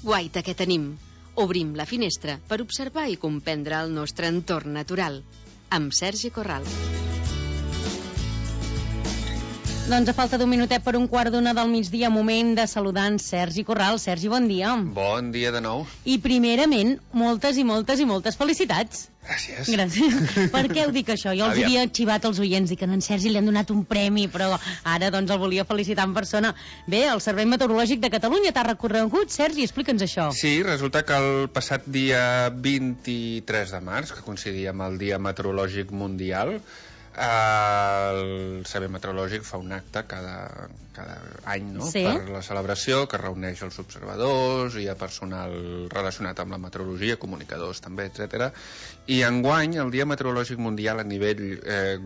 guaita que tenim. Obrim la finestra per observar i comprendre el nostre entorn natural. Amb Sergi Corral. Doncs a falta d'un minutet per 1:15 del migdia, moment de saludar en Sergi Corral. Sergi, bon dia. Bon dia de nou. I primerament, moltes felicitats. Gràcies. Gràcies. Per què ho dic això? Jo els havia xivat als oients i que a en Sergi li han donat un premi, però ara doncs el volia felicitar en persona. Bé, el Servei Meteorològic de Catalunya t'ha recorregut, Sergi, explica'ns això. Sí, resulta que el passat dia 23 de març, que coincidia amb el Dia Meteorològic Mundial, el Servei Meteorològic fa un acte cada any, no? Sí. Per la celebració, que reuneix els observadors i a personal relacionat amb la meteorologia, comunicadors també, etc. I enguany el Dia Meteorològic Mundial a nivell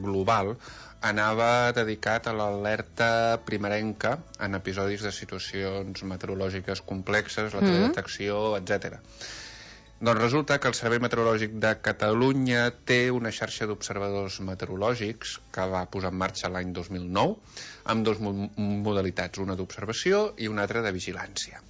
global anava dedicat a l'alerta primerenca en episodis de situacions meteorològiques complexes, la teledetecció, etc. Doncs resulta que el Servei Meteorològic de Catalunya té una xarxa d'observadors meteorològics que va posar en marxa l'any 2009 amb dues modalitats, una d'observació i una altra de vigilància.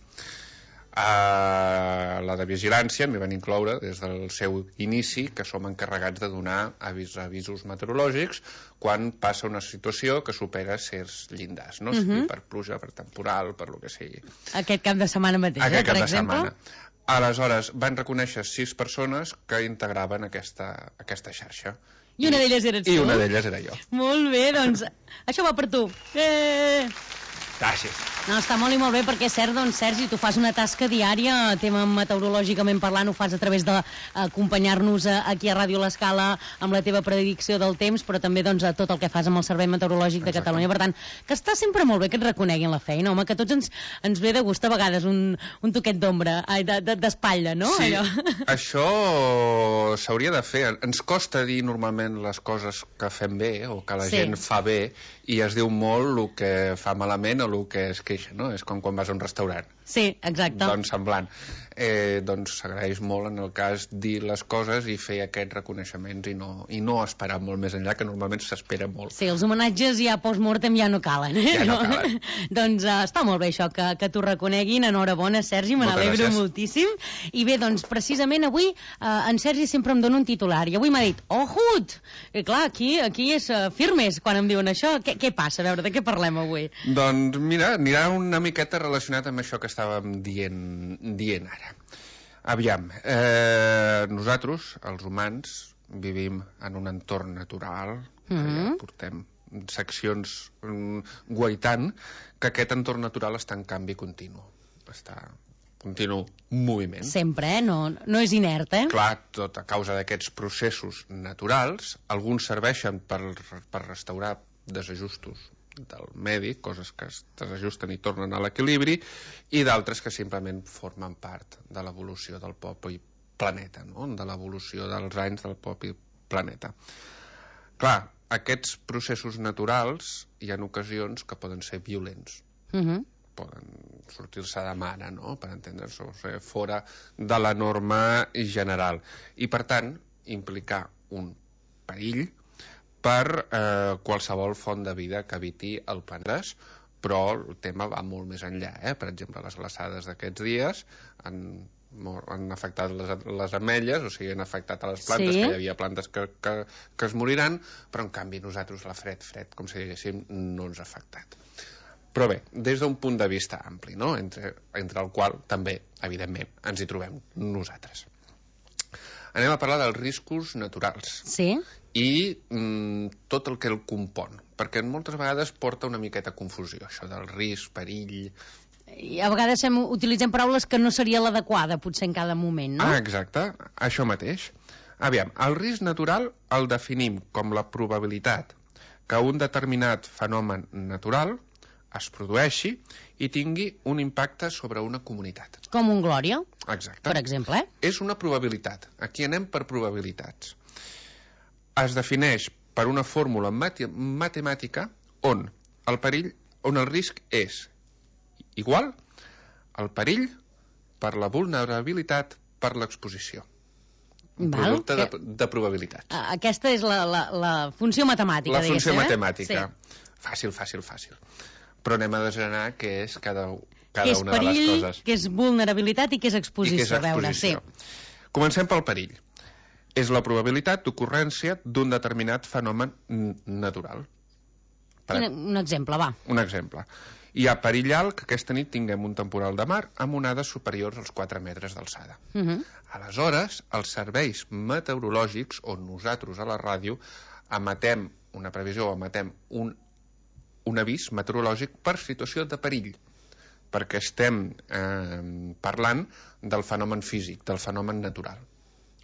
La de vigilància m'hi van incloure des del seu inici, que som encarregats de donar avisos meteorològics quan passa una situació que supera certs llindars, no? Sigui per pluja, per temporal, per lo que sigui. Aquest cap de setmana mateix, Aquest cap per de exemple? setmana. Aleshores, van reconèixer 6 persones que integraven aquesta xarxa. I una d'elles eres tu? I una d'elles era jo. Molt bé, doncs això va per tu. Gràcies. No, està molt i molt bé, perquè és cert, doncs, Sergi, tu fas una tasca diària, tema meteorològicament parlant, ho fas a través d'acompanyar-nos aquí a Ràdio L'Escala amb la teva predicció del temps, però també doncs, tot el que fas amb el Servei Meteorològic de Catalunya. Per tant, que està sempre molt bé que et reconeguin la feina, home, que a tots ens ve de gust a vegades un toquet d'ombra, d'espatlla, no? Sí, allò. això s'hauria de fer. Ens costa dir normalment les coses que fem bé o que la gent fa bé, i es diu molt el que fa malament o el que es queixa, no? És com quan vas a un restaurant. Sí, exacte. Doncs semblant. Doncs s'agraeix molt en el cas dir les coses i fer aquests reconeixements i no esperar molt més enllà, que normalment s'espera molt. Sí, els homenatges ja post-mortem ja no calen. Ja no calen. Doncs està molt bé això, que t'ho reconeguin. Enhorabona, Sergi, me n'alegro moltíssim. I bé, doncs precisament avui en Sergi sempre em dona un titular i avui m'ha dit, ojut! I clar, aquí és firmes quan em diuen això. Què passa? A veure, de què parlem avui? Doncs mira, anirà una miqueta relacionat amb això que estàvem dient ara. Aviam, nosaltres, els humans, vivim en un entorn natural, que ja portem seccions guaitant, que aquest entorn natural està en canvi continu. Està continu moviment. Sempre, no és inert, Clar, tot a causa d'aquests processos naturals, alguns serveixen per restaurar desajustos del medi, coses que es desajusten i tornen a l'equilibri, i d'altres que simplement formen part de l'evolució del propi planeta, no? De l'evolució dels anys del propi planeta. Clar, aquests processos naturals hi ha ocasions que poden ser violents. Poden sortir-se de mare, no? Per entendre's, o sigui, fora de la norma general. I, per tant, implicar un perill per qualsevol font de vida que habiti el planeta, però el tema va molt més enllà. Per exemple, les glaçades d'aquests dies han afectat les ametlles, o sigui, han afectat a les plantes, que hi havia plantes que es moriran, però en canvi nosaltres la fred, com si diguéssim, no ens ha afectat. Però bé, des d'un punt de vista ampli, no? Entre el qual també, evidentment, ens hi trobem nosaltres. Anem a parlar dels riscos naturals. Sí. I tot el que el compon, perquè moltes vegades porta una miqueta confusió, això del risc, perill... I a vegades utilitzem paraules que no seria l'adequada, potser en cada moment, no? Exacte, això mateix. Aviam, el risc natural el definim com la probabilitat que un determinat fenomen natural es produeixi i tingui un impacte sobre una comunitat. Com un Glòria, exacte, per exemple. És una probabilitat. Aquí anem per probabilitats. Es defineix per una fórmula matemàtica on el risc és igual al perill per la vulnerabilitat per l'exposició. Un producte de probabilitats. Aquesta és la funció matemàtica, la funció matemàtica. Sí. Fàcil. però anem a desgranar què és cada que és una de les perill, coses. que és vulnerabilitat i que és exposició. A veure, sí. Comencem pel perill. És la probabilitat d'ocurrència d'un determinat fenomen natural. Un exemple, va. Un exemple. Hi ha perill alt que aquesta nit tinguem un temporal de mar amb onades superiors als 4 metres d'alçada. Aleshores, els serveis meteorològics, on nosaltres a la ràdio emetem una previsió o emetem un avís meteorològic per situació de perill, perquè estem parlant del fenomen físic, del fenomen natural.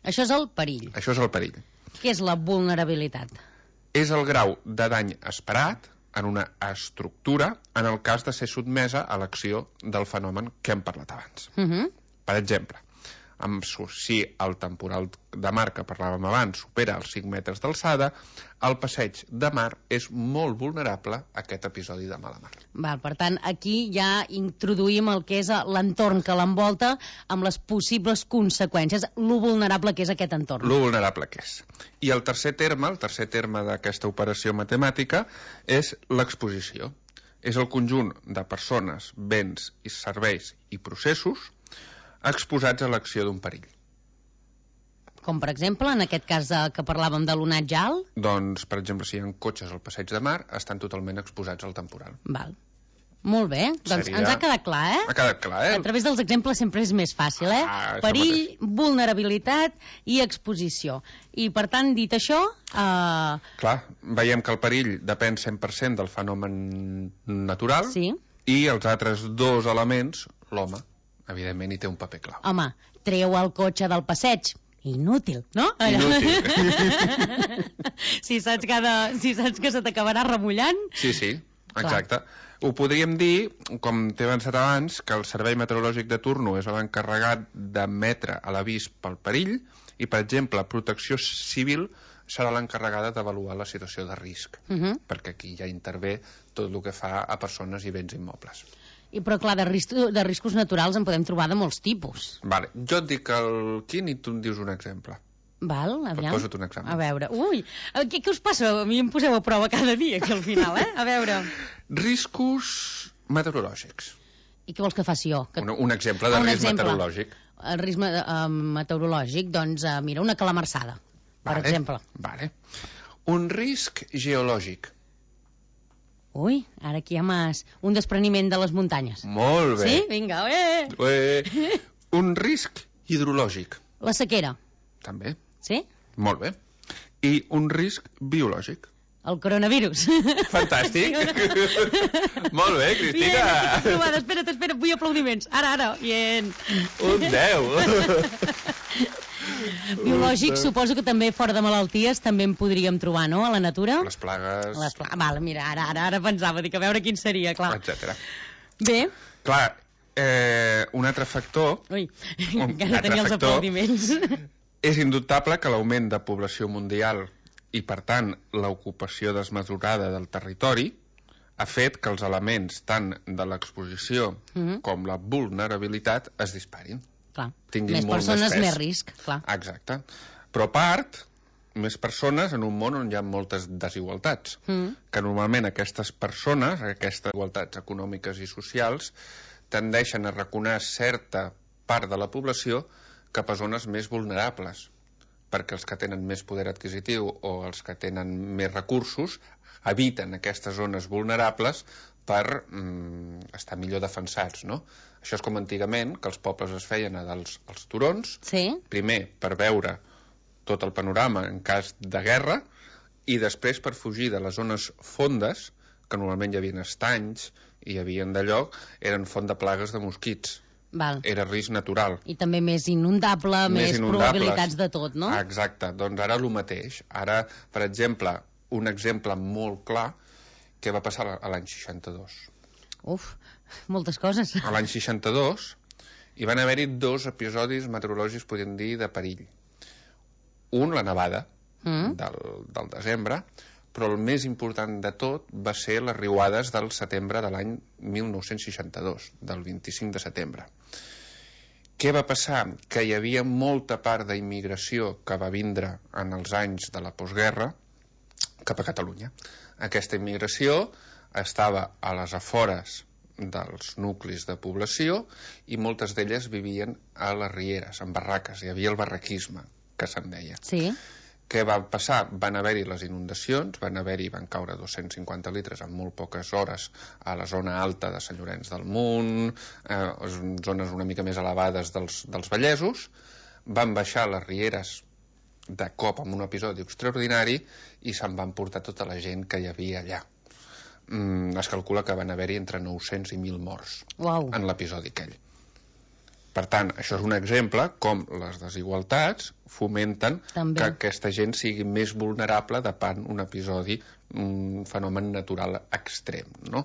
Això és el perill. Això és el perill. Què és la vulnerabilitat? És el grau de dany esperat en una estructura en el cas de ser sotmesa a l'acció del fenomen que hem parlat abans. Per exemple, si el temporal de mar que parlàvem abans supera els 5 metres d'alçada, el passeig de mar és molt vulnerable a aquest episodi de mala mar. Val, per tant, aquí ja introduïm el que és l'entorn que l'envolta amb les possibles conseqüències, lo vulnerable que és aquest entorn. Lo vulnerable que és. I el tercer terme d'aquesta operació matemàtica és l'exposició. És el conjunt de persones, béns i serveis i processos exposats a l'acció d'un perill. Com, per exemple, en aquest cas que parlàvem de l'onatge alt? Doncs, per exemple, si hi ha cotxes al passeig de mar, estan totalment exposats al temporal. Val. Molt bé. Doncs ens ha quedat clar, eh? Ha quedat clar, eh? A través dels exemples sempre és més fàcil, eh? Perill, vulnerabilitat i exposició. I, per tant, dit això... Clar, veiem que el perill depèn 100% del fenomen natural, sí, i els altres dos elements, l'home, evidentment, hi té un paper clau. Home, treu el cotxe del passeig. Inútil, no? Inútil. si saps que se t'acabarà remullant... Sí, exacte. Clar. Ho podríem dir, com t'he avançat abans, que el Servei Meteorològic de turno és l'encarregat d'emetre l'avís pel perill i, per exemple, Protecció Civil serà l'encarregada d'avaluar la situació de risc, perquè aquí ja intervé tot el que fa a persones i béns immobles. Però clar, de riscos naturals en podem trobar de molts tipus. Vale. Jo et dic el quin i tu em dius un exemple. Val, aviam. Posa't un exemple. A veure, què us passa? A mi em poseu a prova cada dia aquí al final, eh? A veure. Riscos meteorològics. I què vols que faci jo? Un exemple de risc meteorològic. El risc meteorològic, doncs, mira, una calamarsada, per exemple. Vale. Un risc geològic. Ui, ara aquí hi ha un despreniment de les muntanyes. Molt bé. Sí? Vinga, Un risc hidrològic. La sequera. També. Sí? Molt bé. I un risc biològic. El coronavirus. Fantàstic. Molt bé, Cristina. Bien, espera't, vull aplaudiments. Ara. Bien. Un 10. Biològic, suposo que també fora de malalties també en podríem trobar, no?, a la natura? Les plagues... Val, mira, ara pensava, dic, a veure quin seria, clar. Etcètera. Bé. Clar, un altre factor... Ui, encara tenia els aplaudiments. És indubtable que l'augment de població mundial i, per tant, l'ocupació desmesurada del territori ha fet que els elements tant de l'exposició com la vulnerabilitat es disparin. Clar, més persones, més risc, clar. Exacte. Però a part, més persones en un món on hi ha moltes desigualtats, que normalment aquestes persones, aquestes igualtats econòmiques i socials, tendeixen a raconar certa part de la població cap a zones més vulnerables, perquè els que tenen més poder adquisitiu o els que tenen més recursos eviten aquestes zones vulnerables per estar millor defensats, no? Això és com antigament, que els pobles es feien als turons, primer per veure tot el panorama en cas de guerra, i després per fugir de les zones fondes, que normalment hi havia estanys i hi havia d'allò, eren font de plagues de mosquits. Val. Era risc natural. I també més inundable, més probabilitats de tot, no? Exacte, doncs ara el mateix. Ara, per exemple, un exemple molt clar, què va passar a l'any 62. Uf, moltes coses. A l'any 62 hi van haver-hi 2 episodis meteorològics, podríem dir, de perill. Un, la nevada del desembre, però el més important de tot va ser les riuades del setembre de l'any 1962, del 25 de setembre. Què va passar? Que hi havia molta part d'immigració que va vindre en els anys de la postguerra cap a Catalunya. Aquesta immigració estava a les afores dels nuclis de població i moltes d'elles vivien a les rieres, en barraques. Hi havia el barraquisme, que se'n deia. Sí. Què va passar? Van haver-hi les inundacions, van caure 250 litres en molt poques hores a la zona alta de Sant Llorenç del Munt, zones una mica més elevades dels Vallesos, van baixar les rieres de cop amb un episodi extraordinari i se'n van portar tota la gent que hi havia allà. Es calcula que van haver-hi entre 900 i 1.000 morts en l'episodi aquell. Per tant, això és un exemple com les desigualtats fomenten que aquesta gent sigui més vulnerable davant un episodi, un fenomen natural extrem, no?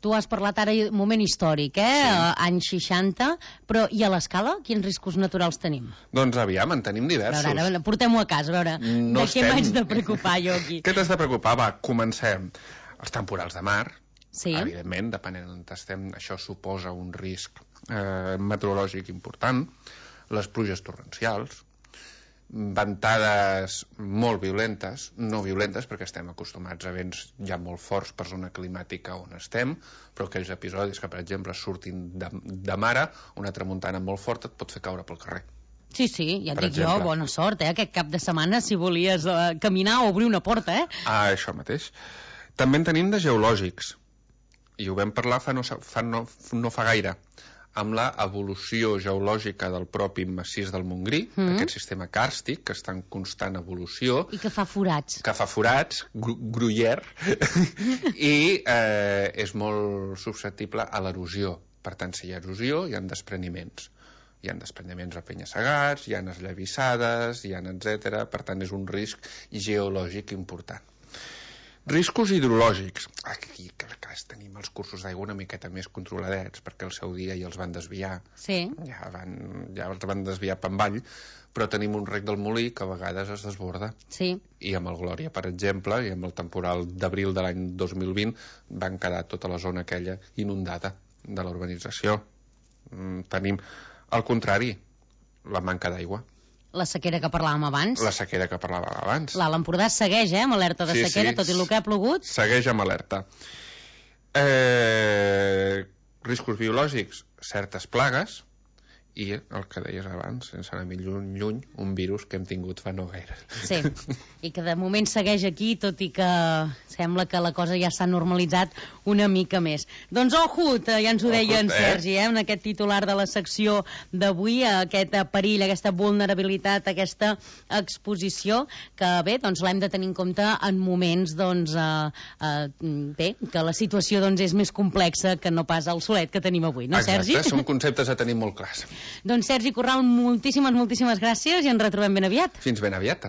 Tu has parlat ara d'un moment històric, Sí. Anys 60, però i a l'escala quins riscos naturals tenim? Doncs aviam, en tenim diversos. A veure, portem-ho a casa, a veure, de què m'haig de preocupar jo aquí? Què t'has de preocupar? Va, comencem. Els temporals de mar, Sí. evidentment, depenent d'on estem, això suposa un risc meteorològic important, les pluges torrencials, ventades molt violentes, no violentes perquè estem acostumats a vents ja molt forts per zona climàtica on estem, però aquells episodis que, per exemple, surtin de mare, una tramuntana molt forta et pot fer caure pel carrer. Sí, ja et Per dic jo, exemple. bona sort, aquest cap de setmana, si volies caminar o obrir una porta, Això mateix. També en tenim de geològics, i ho vam parlar no fa gaire, amb l'evolució geològica del propi massís del Montgrí, aquest sistema càrstic que està en constant evolució. I que fa forats. Gruyère, i és molt susceptible a l'erosió. Per tant, si hi ha erosió, hi ha despreniments. Hi ha despreniments a penya-segats, hi ha esllavissades, etc. Per tant, és un risc geològic important. Riscos hidrològics. Aquí tenim els cursos d'aigua una miqueta més controladets, perquè al seu dia ja els van desviar. Sí. Ja els van desviar per avall, però tenim un rec del Molí que a vegades es desborda. Sí. I amb el Glòria, per exemple, i amb el temporal d'abril de l'any 2020, van quedar tota la zona aquella inundada de la urbanització. Tenim, al contrari, la manca d'aigua. La sequera que parlàvem abans. La sequera que parlàvem abans. L'Alt Empordà segueix, amb alerta de sequera, tot i el que ha plogut. Segueix amb alerta. Riscos biològics, certes plagues, i el que deies abans, sense anar més lluny, un virus que hem tingut fa no gaire. Sí, i que de moment segueix aquí, tot i que sembla que la cosa ja s'ha normalitzat una mica més. Doncs Ohut, ja ens ho deia en Sergi, en aquest titular de la secció d'avui, aquest perill, aquesta vulnerabilitat, aquesta exposició, que bé, doncs l'hem de tenir en compte en moments, doncs, bé, que la situació doncs és més complexa que no pas el solet que tenim avui, no, Sergi? Exacte, són conceptes a tenir molt clars. Doncs Sergi Corral, moltíssimes gràcies i ens retrobem ben aviat. Fins ben aviat.